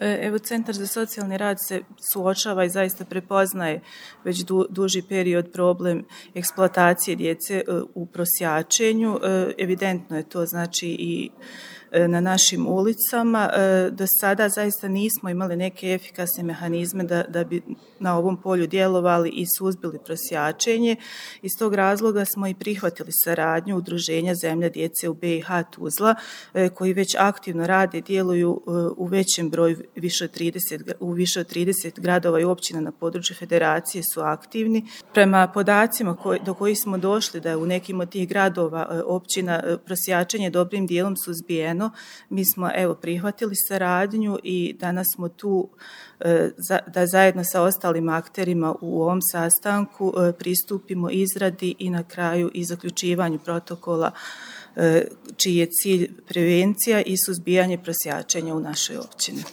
Evo, Centar za socijalni rad se suočava i zaista prepoznaje već duži period problem eksploatacije djece u prosjačenju. Evidentno je to znači i na našim ulicama. Do sada zaista nismo imali neke efikasne mehanizme da bi na ovom polju djelovali i suzbili prosjačenje. Iz tog razloga smo i prihvatili saradnju Udruženja Zemlja djece u BiH Tuzla, koji već aktivno rade i djeluju u većem broju, u više od 30 gradova i općina na području federacije su aktivni. Prema podacima do kojih smo došli da je u nekim od tih gradova, općina, prosjačenje dobrim dijelom suzbijeno, mi smo prihvatili saradnju i danas smo tu da zajedno sa ostalim akterima u ovom sastanku pristupimo izradi i na kraju i zaključivanju protokola čiji je cilj prevencija i suzbijanje prosjačenja u našoj općini.